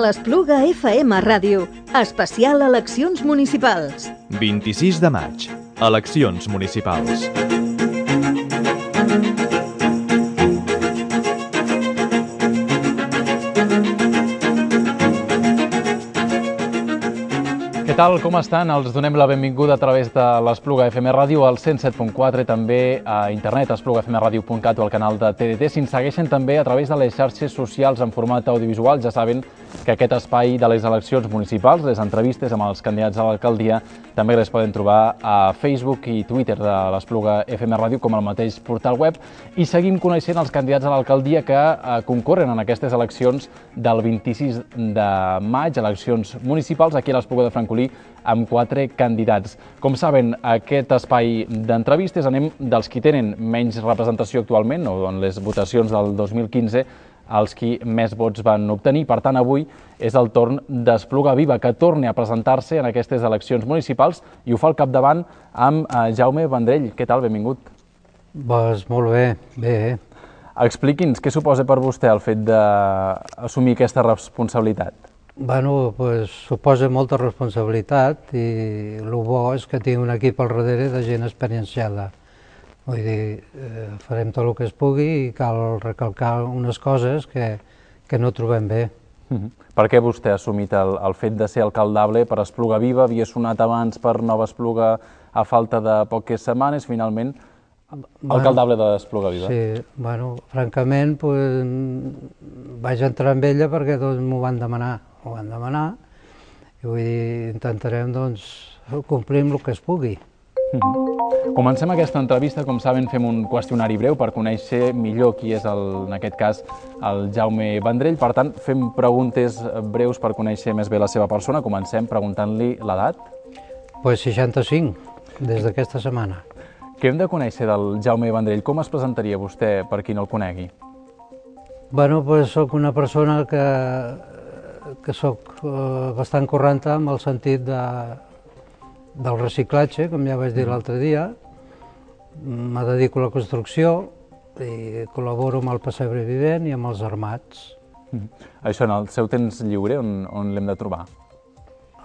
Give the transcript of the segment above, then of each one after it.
l'Espluga FM Ràdio. Especial eleccions municipals. 26 de maig. Eleccions municipals. Què tal, com estan? Els donem la benvinguda a través de l'Espluga FM Ràdio, al 107.4, també a internet, esplugafmradio.cat o al canal de TDT. Si ens segueixen també a través de les xarxes socials en format audiovisual, ja saben que aquest espai de les eleccions municipals, les entrevistes amb els candidats a l'alcaldia, també les poden trobar a Facebook i Twitter de l'Espluga FM Ràdio, com el mateix portal web. I seguim coneixent els candidats a l'alcaldia que concorren en aquestes eleccions del 26 de maig, eleccions municipals, aquí a l'Espluga de Francolí, amb 4 candidats. Com saben, aquest espai d'entrevistes anem dels qui tenen menys representació actualment, o en les votacions del 2015, els qui més vots van obtenir. Per tant, avui és el torn d'Espluga Viva, que torni a presentar-se en aquestes eleccions municipals i ho fa al capdavant amb Jaume Vendrell. Què tal? Benvingut. Doncs molt bé, bé. Expliqui'ns què suposa per vostè el fet d'assumir aquesta responsabilitat. Bueno, doncs suposa molta responsabilitat i el bo és que tinc un equip al darrere de gent experienciada. Vull dir, farem tot el que es pugui i cal recalcar unes coses que no trobem bé. Per què vostè ha assumit el fet de ser alcaldable per Espluga Viva? Havia sonat abans per Nova Espluga a falta de poques setmanes, finalment alcaldable d'Espluga Viva. Sí, bueno, francament vaig entrar amb ella perquè m'ho van demanar. I vull dir, intentarem complir amb el que es pugui. Comencem aquesta entrevista. Com saben, fem un qüestionari breu per conèixer millor qui és, en aquest cas, el Jaume Vendrell. Per tant, fem preguntes breus per conèixer més bé la seva persona. Comencem preguntant-li l'edat. Doncs 65, des d'aquesta setmana. Què hem de conèixer del Jaume Vendrell? Com es presentaria vostè per qui no el conegui? Bueno, doncs soc una persona que soc bastant correnta en el sentit del reciclatge, com ja vaig dir l'altre dia. Me dedico a la construcció i col·laboro amb el pessebre vivent i amb els armats. Això, en el seu temps lliure, on l'hem de trobar?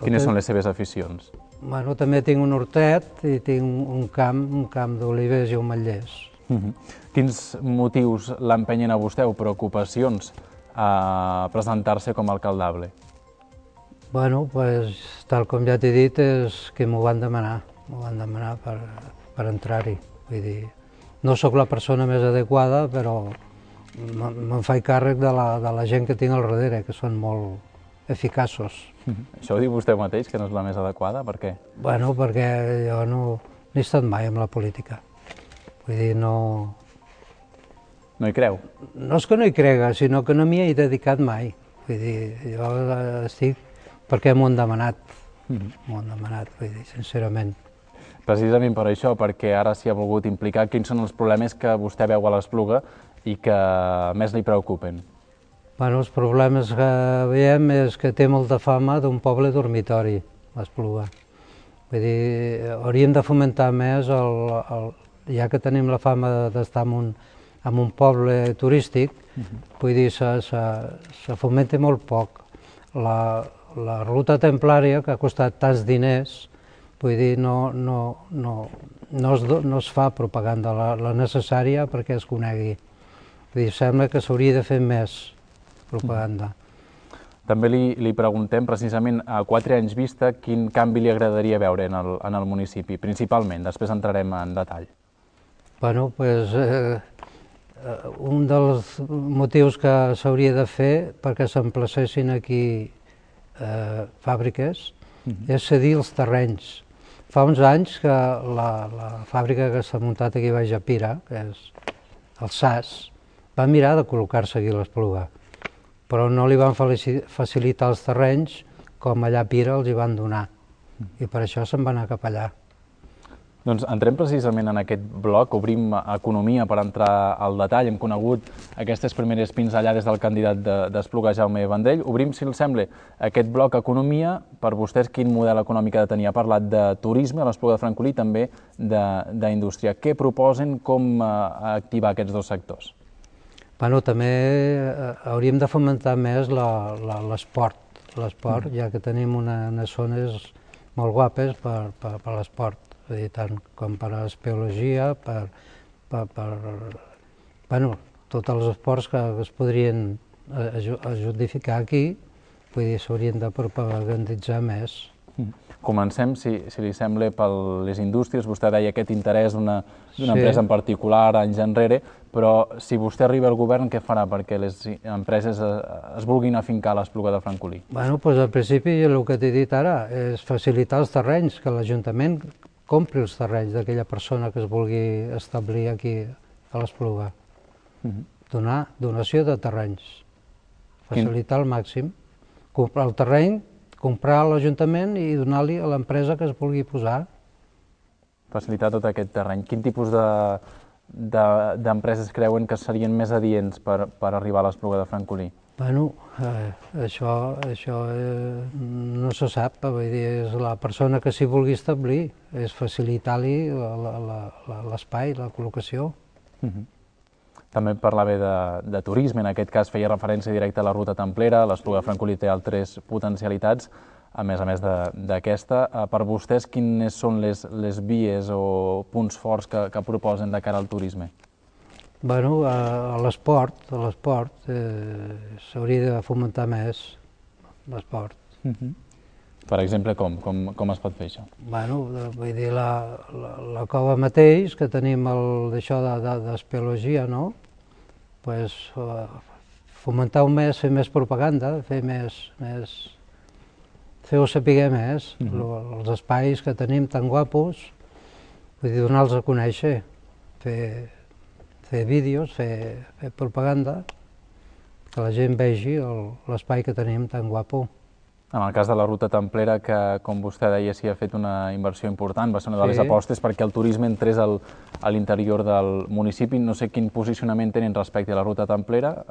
Quines són les seves aficions? Bueno, també tinc un hortet i tinc un camp d'olives i ametllers. Quins motius l'empenyen a vostè o preocupacions a presentar-se com a alcaldable? Bueno, doncs, tal com ja t'he dit, és que m'ho van demanar per entrar-hi. Vull dir, no sóc la persona més adequada, però me'n faig càrrec de la gent que tinc al darrere, que són molt eficaços. Això ho diu vostè mateix, que no és la més adequada? Per què? Bueno, perquè jo no he estat mai en la política. Vull dir, no... No hi creu? No és que no hi crega, sinó que no m'hi he dedicat mai. Vull dir, jo estic perquè m'ho han demanat. M'ho han demanat, vull dir, sincerament. Precisament per això, perquè ara s'hi ha volgut implicar, quins són els problemes que vostè veu a l'Espluga i que més li preocupen? Bueno, els problemes que veiem és que té molta fama d'un poble dormitori, l'Espluga. Vull dir, hauríem de fomentar més, ja que tenim la fama d'estar en un poble turístic, vull dir, se fomenta molt poc. La ruta templària, que ha costat tants diners, vull dir, no es fa propaganda la necessària perquè es conegui. Vull dir, sembla que s'hauria de fer més propaganda. També li preguntem, precisament, a 4 anys vista, quin canvi li agradaria veure en el municipi, principalment. Després entrarem en detall. Bueno, doncs, un dels motius que s'hauria de fer perquè s'emplacessin aquí fàbriques és cedir els terrenys. Fa uns anys que la fàbrica que s'ha muntat aquí baix a Pira, que és el SAS, va mirar de col·locar-se aquí a l'Espluga, però no li van facilitar els terrenys com allà a Pira els hi van donar, i per això se'n va anar cap allà. Doncs entrem precisament en aquest bloc, obrim economia per entrar al detall. Hem conegut aquestes primeres pinzellades del candidat d'Espluga, Jaume Vendrell. Obrim, si els sembla, aquest bloc economia. Per vostès, quin model econòmic ha de tenir? Ha parlat de turisme a l'Espluga de Francolí, també d'indústria. Què proposen, com activar aquests dos sectors? Bueno, també hauríem de fomentar més l'esport. l'esport, ja que tenim unes zones molt guapes per l'esport, tant com per a l'espeleologia, bueno, tots els esports que es podrien justificar aquí, vull dir, s'haurien de propaganditzar més. Comencem, si li sembla, per les indústries. Vostè deia aquest interès d'una empresa en particular anys enrere, però si vostè arriba al govern, què farà perquè les empreses es vulguin afincar a l'Espluga de Francolí? Bueno, doncs al principi el que t'he dit ara és facilitar els terrenys, que l'Ajuntament compri els terrenys d'aquella persona que es vulgui establir aquí a l'Espluga. Donar donació de terrenys, facilitar al màxim, comprar el terreny, comprar a l'Ajuntament i donar-li a l'empresa que es vulgui posar. Facilitar tot aquest terreny. Quin tipus d'empreses creuen que serien més adients per arribar a l'Espluga de Francolí? Bueno, això no se sap, vull dir, és la persona que s'hi vulgui establir, és facilitar-li l'espai, la col·locació. També parlava de turisme, en aquest cas feia referència directa a la ruta templera. L'Espluga de Francolí té altres potencialitats, a més d'aquesta. Per vostès, quines són les vies o punts forts que proposen de cara al turisme? Bueno, a l'esport s'hauria de fomentar més l'esport. Per exemple, com es pot fer això? Bueno, vull dir, la cova mateix, que tenim d'això d'espeleologia, no? Pues fomentar-ho més, fer més propaganda, fer-ho saber més, els espais que tenim tan guapos, vull dir, donar-los a conèixer, fer vídeos, fer propaganda, que la gent vegi l'espai que tenim tan guapo. En el cas de la ruta templera, que, com vostè deia, s'hi ha fet una inversió important, va ser una de les apostes perquè el turisme entrés a l'interior del municipi. No sé quin posicionament tenen respecte a la ruta templera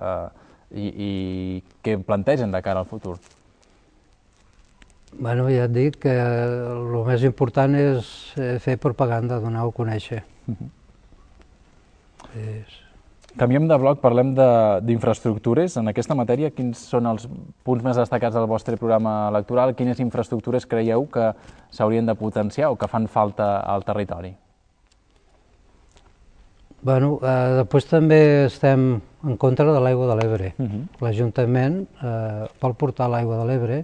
i què plantegen de cara al futur. Bueno, ja et dic que el més important és fer propaganda, donar-ho a conèixer. Canviem de bloc, parlem d'infraestructures. En aquesta matèria, quins són els punts més destacats del vostre programa electoral? Quines infraestructures creieu que s'haurien de potenciar o que fan falta al territori? Bueno, després també estem en contra de l'aigua de l'Ebre. L'Ajuntament vol portar l'aigua de l'Ebre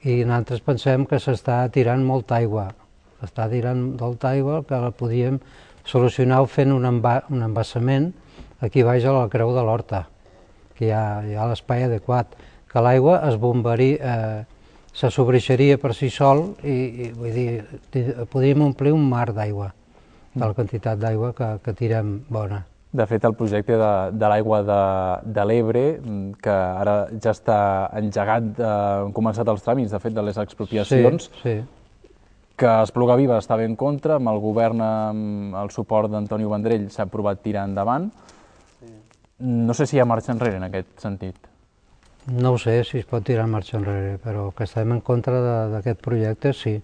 i nosaltres pensem que s'està tirant molta aigua. S'està tirant molta aigua que la podíem solucionar fent un embassament aquí baix a la Creu de l'Horta, que hi ha l'espai adequat, que l'aigua es bombaria, se sobreixeria per si sol i vull dir, podríem omplir un mar d'aigua, de la quantitat d'aigua que tirem bona. De fet, el projecte de l'aigua de l'Ebre, que ara ja està engegat, han començat els tràmits, de fet, de les expropiacions, que Espluga Viva estava en contra, amb el govern, amb el suport d'Antonio Vendrell, s'ha aprovat tirar endavant. No sé si hi ha marxa enrere en aquest sentit. No ho sé si es pot tirar marxa enrere, però que estem en contra d'aquest projecte, sí.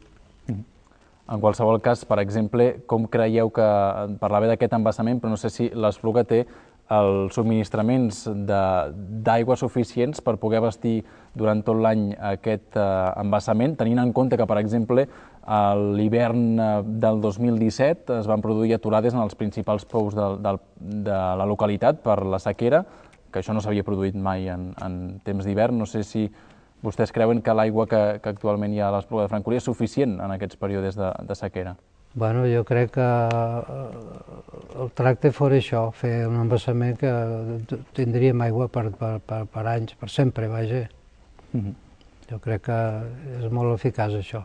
En qualsevol cas, per exemple, com creieu que... Parlava d'aquest embassament, però no sé si l'Espluga té els subministraments d'aigua suficients per poder abastir durant tot l'any aquest embassament, tenint en compte que, per exemple, a l'hivern del 2017 es van produir aturades en els principals pous de la localitat per la sequera, que això no s'havia produït mai en temps d'hivern. No sé si vostès creuen que l'aigua que actualment hi ha a l'Espluga de Francolí és suficient en aquests períodes de sequera. Bueno, jo crec que el tracte fos això, fer un embassament que tindríem aigua per anys, per sempre, vaja. Jo crec que és molt eficaç això.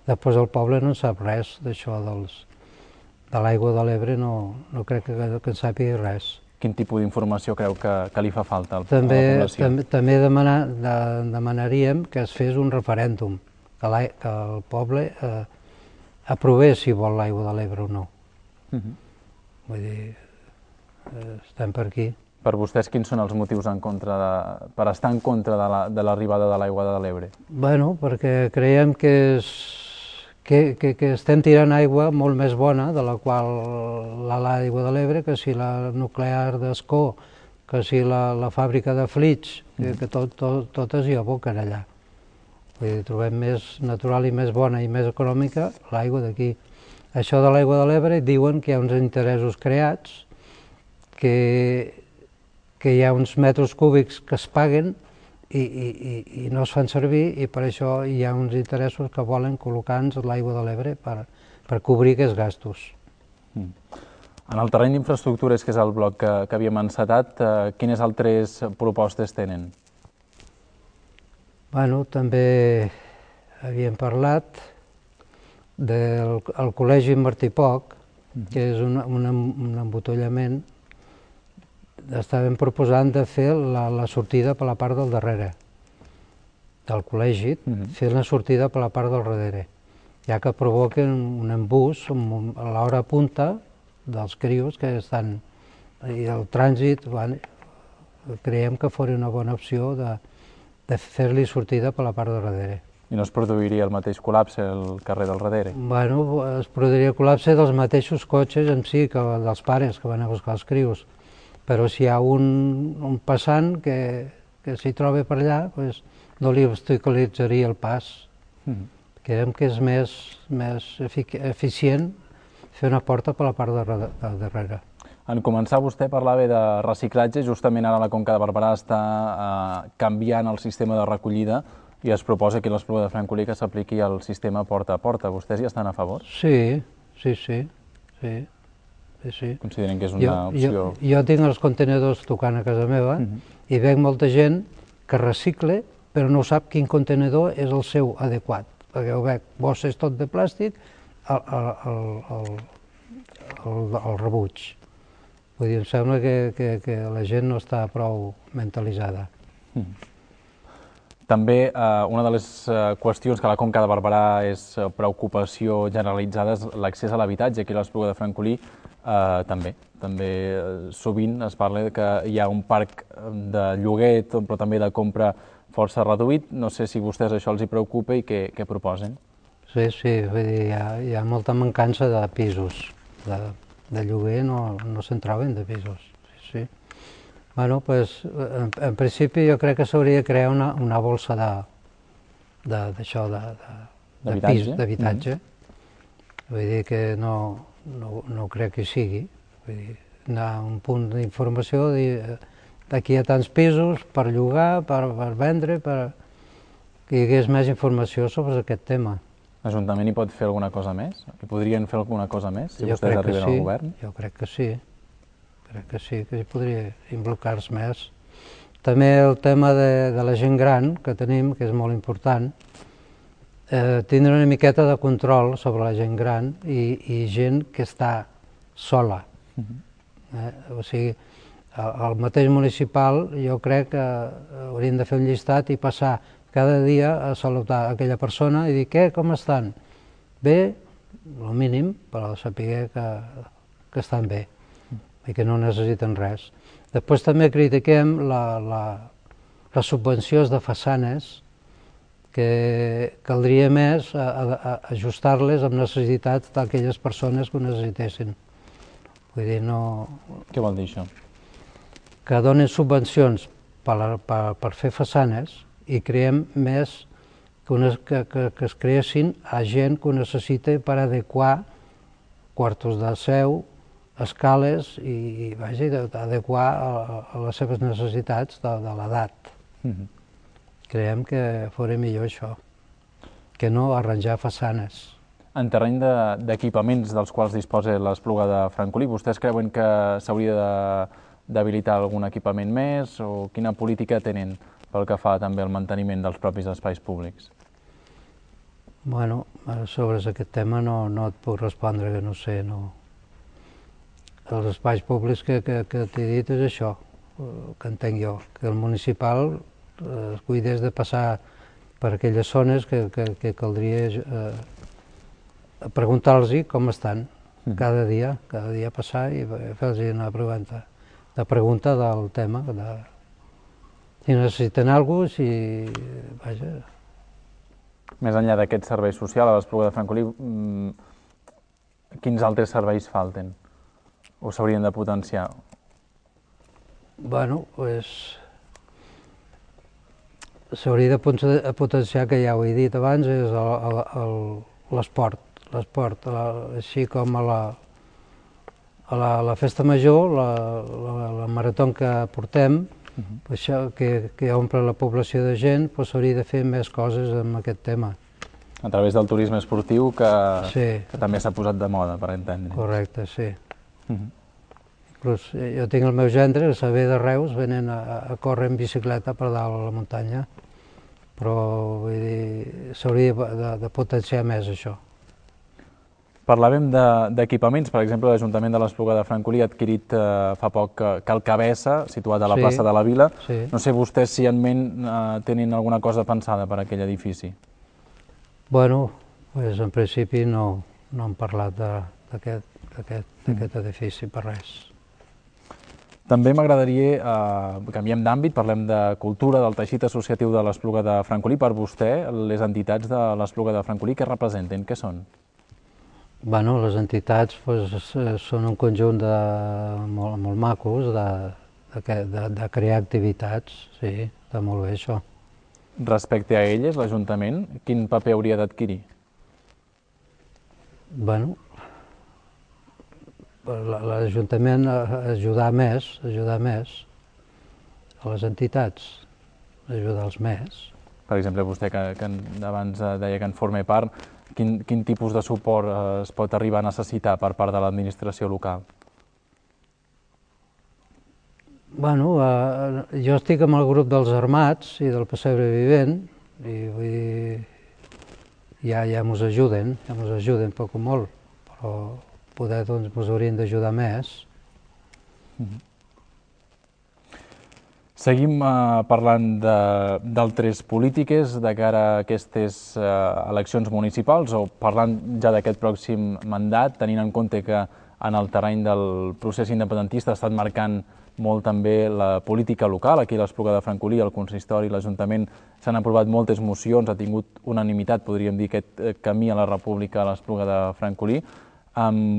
Després el poble no sap res d'això, de l'aigua de l'Ebre, no crec que en sàpiga res. Quin tipus d'informació creu que li fa falta a la població? També demanaríem que es fes un referèndum, que el poble aprovés si vol l'aigua de l'Ebre o no. Vull dir, estem per aquí. Per vostès, quins són els motius per estar en contra de l'arribada de l'aigua de l'Ebre? Bueno, perquè creiem que estem tirant aigua molt més bona de la qual l'aigua de l'Ebre, que si la nuclear d'Ascó, que si la fàbrica de Flix, que totes hi aboquen allà. Vull dir, trobem més natural i més bona i més econòmica l'aigua d'aquí. Això de l'aigua de l'Ebre diuen que hi ha uns interessos creats, que hi ha uns metres cúbics que es paguen i no es fan servir, i per això hi ha uns interessos que volen col·locar-nos l'aigua de l'Ebre per cobrir aquests gastos. En el terreny d'infraestructures, que és el bloc que havíem encetat, quines altres propostes tenen? Bueno, també havíem parlat del Col·legi Martí Poch, que és un embotollament. Estàvem proposant de fer la sortida per la part del darrere del col·legi, fer la sortida per la part del darrere, ja que provoquen un embús a l'hora punta dels crios que estan, i el trànsit, creiem que fos una bona opció de fer-li sortida per la part del darrere. I no es produiria el mateix col·lapse al carrer del darrere? Bueno, es produiria col·lapse dels mateixos cotxes en si, que dels pares que van a buscar els crios. Però si hi ha un passant que s'hi troba per allà, no li obstaculitzaria el pas. Creiem que és més eficient fer una porta per la part del darrere. En començar, vostè parlava de reciclatge. Justament ara la Conca de Barberà està canviant el sistema de recollida i es proposa que a l'Espluga de Francolí que s'apliqui el sistema porta a porta. Vostès hi estan a favor? Sí. Consideren que és una opció? Jo tinc els contenedors tocant a casa meva i veig molta gent que recicle, però no sap quin contenedor és el seu adequat, perquè ho veig, bosses tot de plàstic, el rebuig. Vull dir, em sembla que la gent no està prou mentalitzada. També una de les qüestions que a la Conca de Barberà és preocupació generalitzada és l'accés a l'habitatge. Aquí a l'Espluga de Francolí també sovint es parla que hi ha un parc de lloguer, però també de compra força reduït. No sé si a vostès això els hi preocupa i què proposen. Sí, vull dir, hi ha molta mancança de pisos. De lloguer no se'n troben de pisos. Sí. Bueno, doncs, en principi jo crec que s'hauria de crear una bolsa d'habitatge. Vull dir que no crec que hi sigui. Vull dir, anar a un punt d'informació, d'aquí a tants pisos per llogar, per vendre, que hi hagués més informació sobre aquest tema. L'Ajuntament hi pot fer alguna cosa més? Hi podrien fer alguna cosa més si vostès arriben al govern? Jo crec que sí. Crec que sí, que hi podria involucrar-se més. També el tema de la gent gran que tenim, que és molt important, tindre una miqueta de control sobre la gent gran i gent que està sola. O sigui, el mateix municipal jo crec que haurien de fer un llistat i passar cada dia a saludar aquella persona i dir, què, com estan? Bé, el mínim, però saber que estan bé i que no necessiten res. Després també critiquem les subvencions de façanes, que caldria més ajustar-les amb necessitats d'aquelles persones que ho necessitessin. Vull dir, no... Què vol dir això? Que donen subvencions per fer façanes i creem més que es creessin a gent que ho necessita per adequar quartos de seu, escales i adequar a les seves necessitats de l'edat. Creiem que fos millor això, que no arranjar façanes. En terreny d'equipaments dels quals disposa l'Espluga de Francolí, vostès creuen que s'hauria d'habilitar algun equipament més o quina política tenen pel que fa també al manteniment dels propis espais públics? Bueno, sobre aquest tema no et puc respondre, que no sé, no. Els espais públics que t'he dit és això, que entenc jo, que el municipal es cuidés de passar per aquelles zones que caldria preguntar-los com estan cada dia passar i fer-los una pregunta del tema, si necessiten alguna cosa, si... Més enllà d'aquest servei social a l'Espluga de Francolí, quins altres serveis falten o s'haurien de potenciar? Bueno, doncs... s'hauria de potenciar, que ja ho he dit abans, és l'esport. L'esport, així com a la festa major, la marató que portem, això que omple la població de gent, s'hauria de fer més coses amb aquest tema. A través del turisme esportiu que també s'ha posat de moda, per entendre. Correcte, sí. Inclús jo tinc el meu gendre, que ve de Reus, venen a córrer en bicicleta per dalt a la muntanya, però s'hauria de potenciar més això. Parlàvem d'equipaments, per exemple, l'Ajuntament de l'Espluga de Francolí ha adquirit fa poc Cal Cabessa, situat a la plaça de la Vila. No sé vostès si en ment tenen alguna cosa pensada per a aquell edifici. Bueno, en principi no hem parlat d'aquest edifici per res. També m'agradaria, canviem d'àmbit, parlem de cultura, del teixit associatiu de l'Espluga de Francolí. Per vostè, les entitats de l'Espluga de Francolí, què representen? Què són? Bueno, les entitats són un conjunt molt macos de crear activitats, sí, està molt bé això. Respecte a elles, l'Ajuntament, quin paper hauria d'adquirir? Bueno, l'Ajuntament ajudar més a les entitats, ajudar-los més. Per exemple, vostè que abans deia que en forma part, quin tipus de suport es pot arribar a necessitar per part de l'administració local? Bueno, jo estic amb el grup dels Armats i del Pessebre Vivent i vull dir, ja mos ajuden poc o molt, però poder doncs mos haurien d'ajudar més. Seguim parlant d'altres polítiques de cara a aquestes eleccions municipals o parlant ja d'aquest pròxim mandat, tenint en compte que en el terreny del procés independentista ha estat marcant molt també la política local. Aquí a l'Espluga de Francolí, el consistori i l'Ajuntament s'han aprovat moltes mocions, ha tingut unanimitat, podríem dir, aquest camí a la República a l'Espluga de Francolí.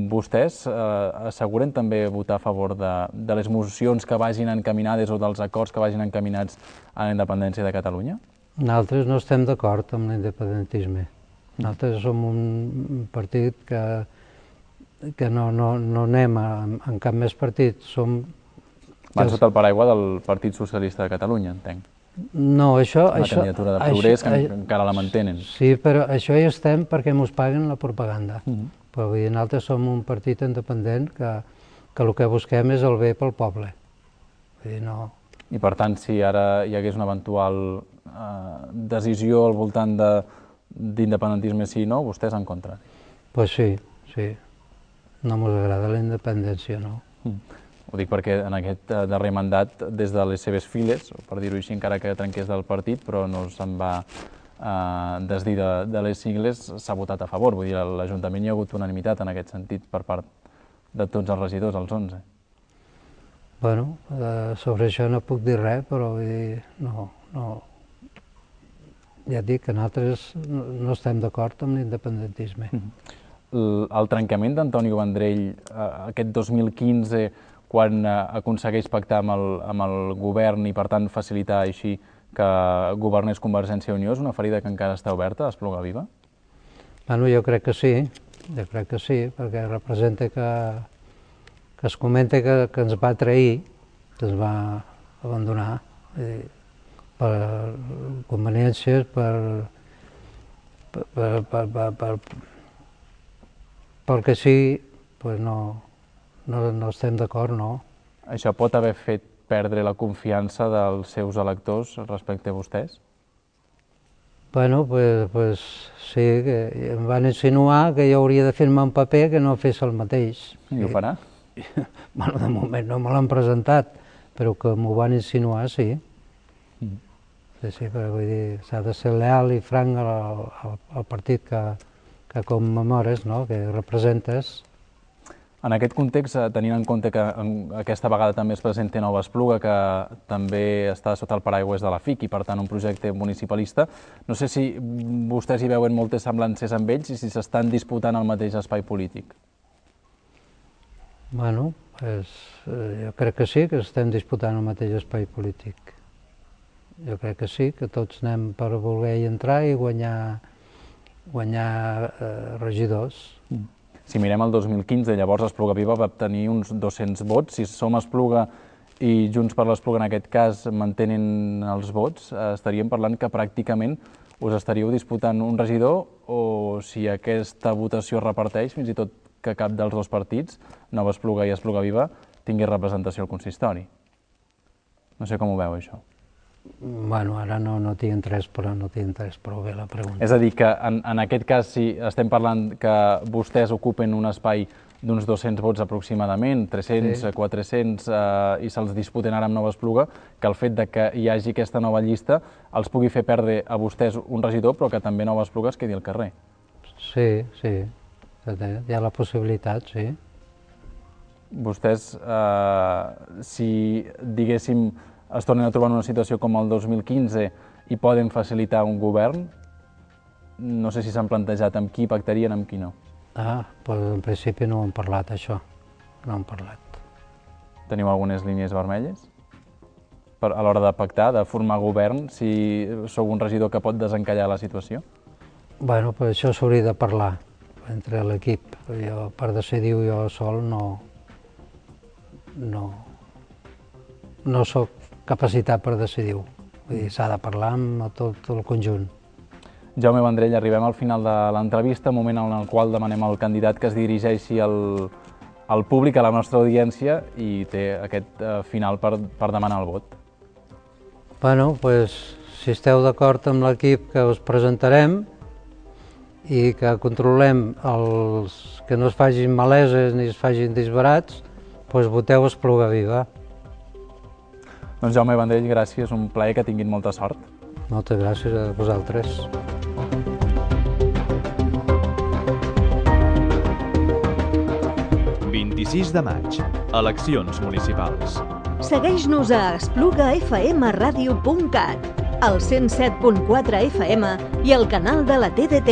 Vostès asseguren també votar a favor de les mocions que vagin encaminades o dels acords que vagin encaminats a la independència de Catalunya? Nosaltres no estem d'acord amb l'independentisme. Nosaltres som un partit que no anem en cap més partit. Van sota el paraigua del Partit Socialista de Catalunya, entenc. No, això... La candidatura de Progrés, que encara la mantenen. Sí, però això hi estem perquè ens paguen la propaganda. Però vull dir, nosaltres som un partit independent que el que busquem és el bé pel poble. Vull dir, no... I per tant, si ara hi hagués una eventual decisió al voltant d'independentisme sí o no, vostès en contra? Doncs sí. No ens agrada la independència, no. Ho dic perquè en aquest darrer mandat, des de les seves files, per dir-ho així, encara que trenqués del partit, però no se'n va desdir de les sigles, s'ha votat a favor. Vull dir, a l'Ajuntament hi ha hagut unanimitat en aquest sentit per part de tots els regidors, els 11. Bueno, sobre això no puc dir res, però vull dir, no. Ja et dic que nosaltres no estem d'acord amb l'independentisme. El trencament d'Antonio Vendrell aquest 2015, quan aconsegueix pactar amb el govern i, per tant, facilitar així que governés Convergència i Unió, és una ferida que encara està oberta a Espluga Viva? Bueno, jo crec que sí, perquè representa que es comenta que ens va trair, que ens va abandonar, per conveniències, perquè sí, no estem d'acord, no. Això pot haver fet perdre la confiança dels seus electors respecte a vostès? Bueno, pues sí, que em van insinuar que jo hauria de firmar un paper que no fes el mateix. I ho farà? Bueno, de moment no me l'han presentat, però que m'ho van insinuar, sí. Sí, però vull dir, s'ha de ser leal i franc al partit que commemores, no?, que representes. En aquest context, tenint en compte que aquesta vegada també es presenta Nova Espluga, que també està sota el paraigües de la FIC i, per tant, un projecte municipalista, no sé si vostès hi veuen moltes semblances amb ells i si s'estan disputant el mateix espai polític. Bueno, jo crec que sí, que estem disputant el mateix espai polític. Jo crec que sí, que tots anem per voler-hi entrar i guanyar regidors. Si mirem el 2015, llavors Espluga Viva va obtenir uns 200 vots. Si som Espluga i Junts per l'Espluga, en aquest cas, mantenen els vots, estaríem parlant que pràcticament us estaríeu disputant un regidor, o si aquesta votació es reparteix, fins i tot que cap dels dos partits, Nova Espluga i Espluga Viva, tingui representació al consistori. No sé com ho veu, això. Bueno, ara no tinc interès, però no tinc interès prou bé la pregunta. És a dir, que en aquest cas, si estem parlant que vostès ocupen un espai d'uns 200 vots aproximadament, 300, 400, i se'ls disputen ara amb Nova Espluga, que el fet de que hi hagi aquesta nova llista els pugui fer perdre a vostès un regidor, però que també Nova Espluga es quedi al carrer. Sí, hi ha la possibilitat, sí. Vostès, si, diguéssim, es tornen a trobar en una situació com el 2015 i poden facilitar un govern, no sé si s'han plantejat amb qui pactarien, amb qui no. Doncs en principi no ho hem parlat, això. No hem parlat. Teniu algunes línies vermelles? A l'hora de pactar, de formar govern, si sou un regidor que pot desencallar la situació? Bueno, per això s'hauria de parlar entre l'equip. Jo, per decidir-ho jo sol, no soc capacitat per decidir-ho. Vull dir, s'ha de parlar amb tot el conjunt. Jaume Vendrell, arribem al final de l'entrevista, moment en el qual demanem al candidat que es dirigeixi al públic, a la nostra audiència, i té aquest final per demanar el vot. Bueno, doncs, si esteu d'acord amb l'equip que us presentarem i que controlem que no es facin maleses ni es facin disbarats, doncs voteu Espluga Viva. Doncs Jaume Vendrell, gràcies, un plaer, que tinguin molta sort. Moltes gràcies a vosaltres. ...26 de maig, eleccions municipals. Segueix-nos a esplugafmradio.cat, al 107.4 FM i al canal de la TDT.